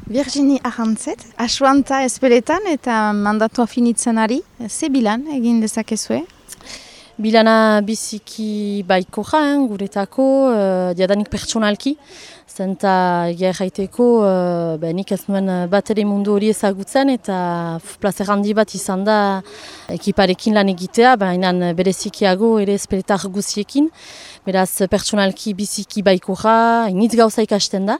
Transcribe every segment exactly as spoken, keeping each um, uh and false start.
Virginie Arrantzet, asuanta espeletan eta mandatua finitzen ari, ze bilan egin dezakezue? Bilana biziki baikoja, eh, guretako, uh, diadanik pertsonalki, zenta gerraiteko uh, ben, nik ez nuen bat ere mundu hori ezagutzen eta plazer handi bat izan da ekiparekin lan egitea, baina berezikiago ere espeletar guziekin. Beraz, pertsonalki biziki baikoja, initz gauza ikasten da,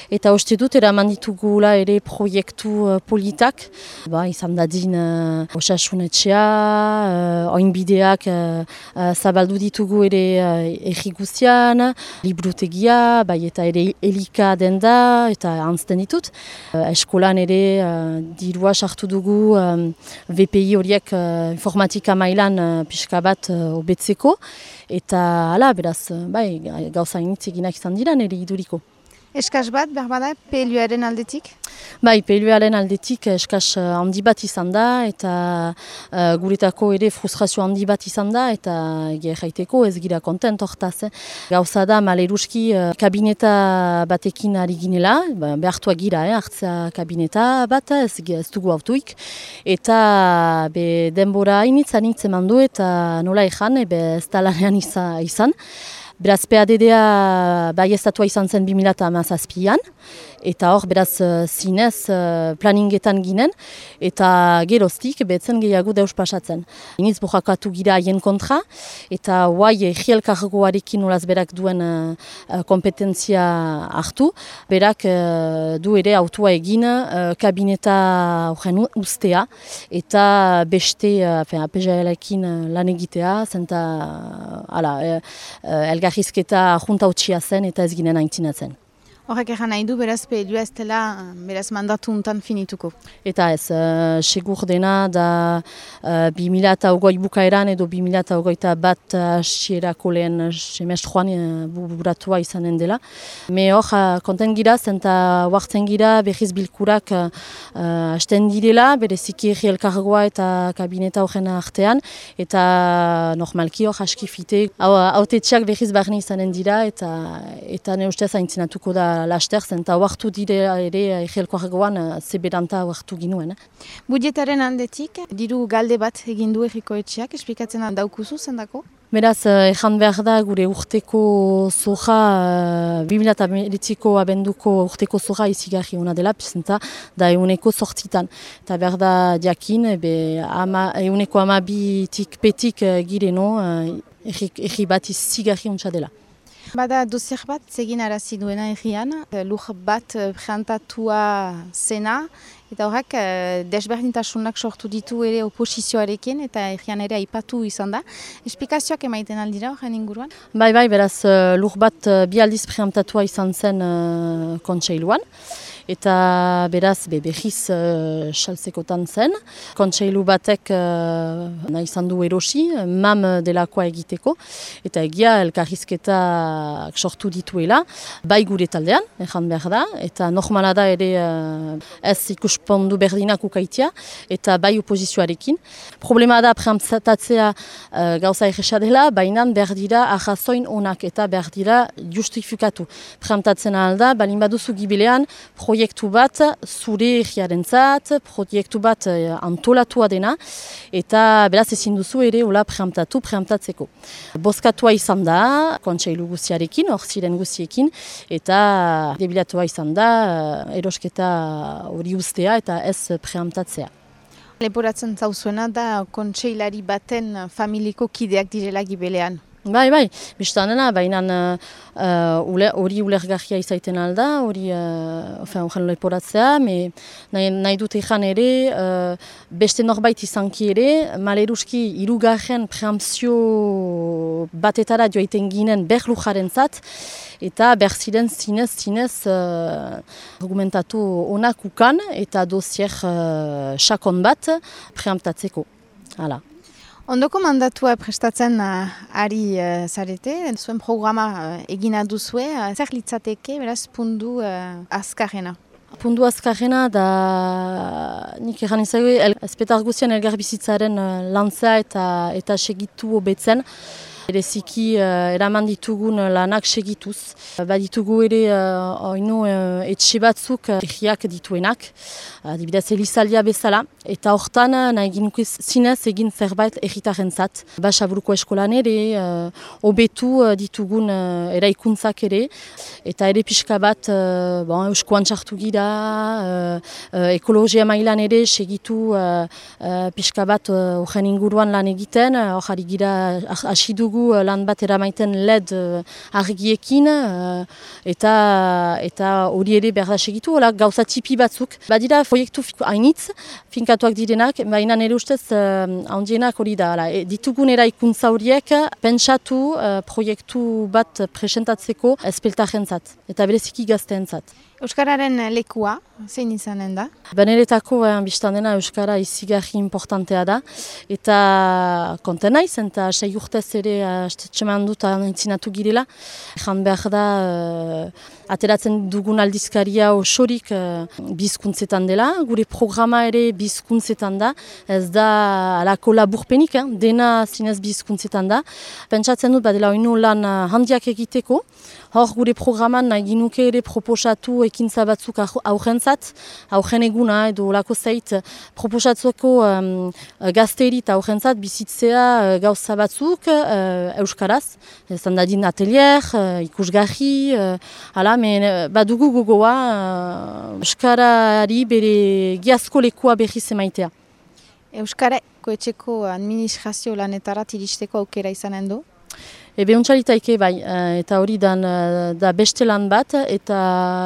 eta uste dut eraman ditugula ere proiektu uh, politak, ba, izan dadin uh, osasunetxea, uh, oinbideak uh, uh, zabaldu ditugu ere uh, erri guztian, librutegia, bai eta ere elika den da, eta antzten ditut. Uh, eskolan ere uh, dirua sartu dugu um, V P I horiek uh, informatika mailan uh, pixka bat uh, obetzeko, eta hala, beraz, bai, gauza initz eginak izan dira nire iduriko. Eskas bat, berbada, P L U-aren aldetik? Bai, P L U-aren aldetik eskas handi bat izan da, eta uh, guretako ere frustrazio handi bat izan da, eta gerraiteko ez gira kontent hortaz. Eh. Gauza da, maleruski uh, kabineta batekin ari ginela, ba, behartua gira, eh, hartzea kabineta bat, ez, ez dugu autuik, eta be, denbora initz anitz eman du, eta nola ezan, ebe ez talanean izan. Beraz, P A D D-a baiestatua izan zen bi mila hamazazpian, eta hor, beraz, zinez planingetan ginen, eta geroztik betzen gehiago deus pasatzen. Iniz borrakatu gira haien kontra, eta guai egielkargoarekin olaz berak duen uh, kompetentzia hartu, berak uh, du ere autua egin uh, kabineta horren ustea, eta beste uh, A P J L-ekin lan egitea, zenta uh, uh, elgarrizketa junta utxia zen eta ez ginen aintzinatzen. Horrek egan nahi du, beraz P L U ez dela, beraz mandatu untan finituko. Eta ez, uh, segur dena da uh, bi mila hogei bukaeran edo bi mila hogeita bat hasierako lehen semestroan uh, buratua izanen dela. Me hor, uh, konten gira, zenta huartzen gira berriz bilkurak uh, hasten direla, bereziki erri elkargoa eta kabineta horren artean, eta normalki hor askifite, hautetxeak berriz barne izanen dira, eta, eta ne ustez aintzinatuko da laster, zenta huartu dire ere egelkoagoan zeberanta huartu ginuen. Eh? Budjetaren handetik, diru galde bat egin du erriko etxeak, esplikatzen daukuzu zendako? Beraz, ezan behar da gure urteko zoja, bi mila hemeretziko abenduko urteko zoja izigarri hona dela, zenta da euneko sortzitan. Eta behar da diakin, euneko amabitik petik gireno, erri bat izigarri hontsa dela. Bada dosier bat zegin arazi duena egian, lur bat preantatua zena, eta horrek desberdintasunak sortu ditu ere oposizioarekin, eta egian ere aipatu izan da. Esplikazioak emaiten aldira horren inguruan? Bai, bai, beraz lur bat bi aldiz preantatua izan zen uh, kontseiluan. Eta beraz be, behiz uh, saltzekotan zen. Kontseilu batek uh, nahi izan du erosi, mam delakoa egiteko, eta egia elkarrizketa sortu dituela, bai gure taldean, ezan behar da, eta normala da ere uh, ez ikuspondu berdinak ukaitia, eta bai opozizioarekin. Problema da preantatzea uh, gauza erresa dela, baina behar dira arrazoin onak eta behar dira justifikatu. Preantatzen alda, balin baduzu gibilean, proiektu bat zure egiarentzat, proiektu bat antolatua dena, eta beraz ezin duzu ere hola preamtatu, preamtatzeko. Bozkatua izan da, kontseilu guziarekin, hor ziren guziekin, eta debilatua izan da, erosketa hori ustea eta ez preamtatzea. Leporatzen zauzuena da kontseilari baten familiko kideak direla gibelean. Bai, bai, biztanena, baina hori uh, uh, ulergarria izaiten alda, hori uh, horren leporatzea, me nahi, nahi dut ezan ere, uh, beste norbait izanki ere, maleruski hirugarren preampzio batetara joaiten ginen berlujaren zat, eta berziren zinez, zinez uh, argumentatu onak ukan, eta dosier uh, sakon bat preamptatzeko. Hala. Ondoko mandatua prestatzen uh, ari uh, zarete, zuen programa uh, egina duzue, uh, zer litzateke, beraz, pundu uh, azkarrena? Pundu azkarrena da, nik egan izagui, espetar guztian elgarbizitzaren uh, lantza eta, eta segitu hobetzen. Bereziki uh, eraman ditugun lanak segituz. Baditugu ere uh, oinu uh, etxe batzuk uh, egiak dituenak, adibidez Elizaldia bezala, eta hortan nahi ginuke zinez egin zerbait egitarrentzat. Basaburuko eskolan ere, hobetu uh, ditugun uh, eraikuntzak ere, eta ere pixka bat uh, bon, euskoan txartu gira, uh, uh, ekologia mailan ere segitu uh, uh, pixka bat horren uh, inguruan lan egiten, hor uh, gira hasi dugu uh, lan bat eramaiten L E D uh, argiekin, uh, eta eta hori ere behar da segitu, hola, gauza tipi batzuk. Badira proiektu hainitz, finkatuak direnak, baina nire ustez uh, handienak hori da. Hala, e, ditugun eraikuntza horiek pentsatu uh, proiektu bat presentatzeko espeltarrentzat eta bereziki gazteentzat. Euskararen lekua, zein izanen da? Beneretako eh, biztan dena Euskara izigarri importantea da, eta konten naiz, eta sei urtez ere txeman dut entzinatu girela. Ejan behar da, uh, ateratzen dugun aldizkaria osorik uh, bizkuntzetan dela, gure programa ere bizkuntzetan da, ez da alako laburpenik, eh? Dena zinez bizkuntzetan da. Pentsatzen dut badela oinu lan handiak egiteko, hor gure programan nahi ginuke ere proposatu ekintza batzuk aurrentzat, aurren eguna edo olako zait proposatzueko um, gazteri eta aurrentzat bizitzea uh, gauza batzuk uh, euskaraz. Ezan dadin atelier, uh, ikusgarri, uh, ala, men badugu gogoa uh, euskarari bere giazko lekua berriz emaitea. Euskarako etxeko administrazio lanetarat iristeko aukera izanen du? Ebe untxalitaike bai, eta hori dan, da beste lan bat, eta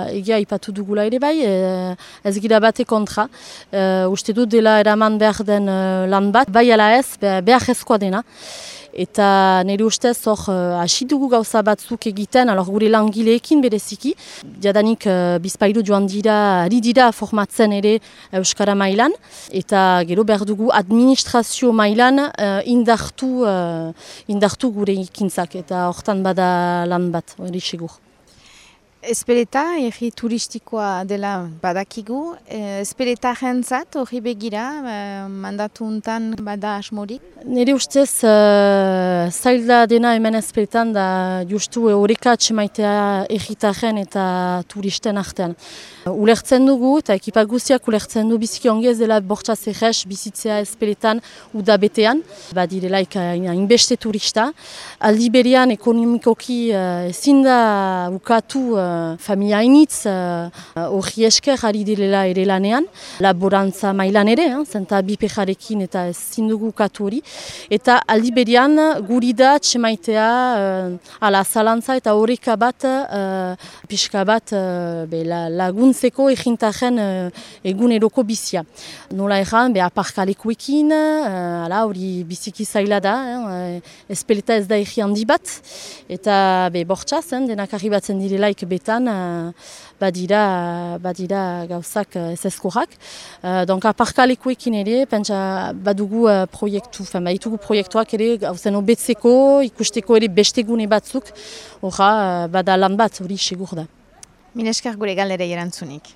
egia ipatu dugula ere bai, ez gira bate kontra. Uh, uste dut dela eraman behar den lan bat, bai ala ez, behar ezkoa dena. Eta nire ustez hor hasi dugu gauza batzuk egiten, alor gure langileekin bereziki. Jadanik uh, bizpailu joan dira, ari dira formatzen ere Euskara mailan, eta gero behar dugu administrazio mailan uh, indartu, uh, indartu gure ikintzak, eta hortan bada lan bat, hori segur. Espeleta, erri turistikoa dela badakigu. Espeleta jentzat hori begira, mandatu untan bada asmorik? Nire ustez, uh, zaila dena hemen espeletan da justu horreka atxemaitea erritaren eta turisten artean. Ulertzen dugu eta ekipa guztiak ulertzen du biziki ongi ez dela bortxaz errez bizitzea espeletan udabetean. Badirelaik hainbeste turista. Aldi berean ekonomikoki ezin da ukatu uh, familia hainitz hori uh, esker ari direla ere lanean. Laborantza mailan ere, eh, zenta bipejarekin eta ezin dugu ukatu hori. Eta aldi berean guri da txemaitea uh, ala zalantza eta horreka bat uh, pixka bat uh, be, la, lagun zeko egintaren uh, eguneroko bizia. Nola erran, be aparkalekuekin, uh, ala hori biziki zaila da, eh, espeleta ez da egi handi bat, eta be bortxaz, eh, denak arribatzen direlaik betan, uh, badira, badira gauzak uh, ez ezkorak. Uh, donc aparkalekuekin ere, pentsa badugu uh, proiektu, fen, baditugu proiektuak ere gauzen obetzeko, ikusteko ere bestegune batzuk, horra uh, bada lan bat hori segur da. Mineskar gure galderei erantzunik.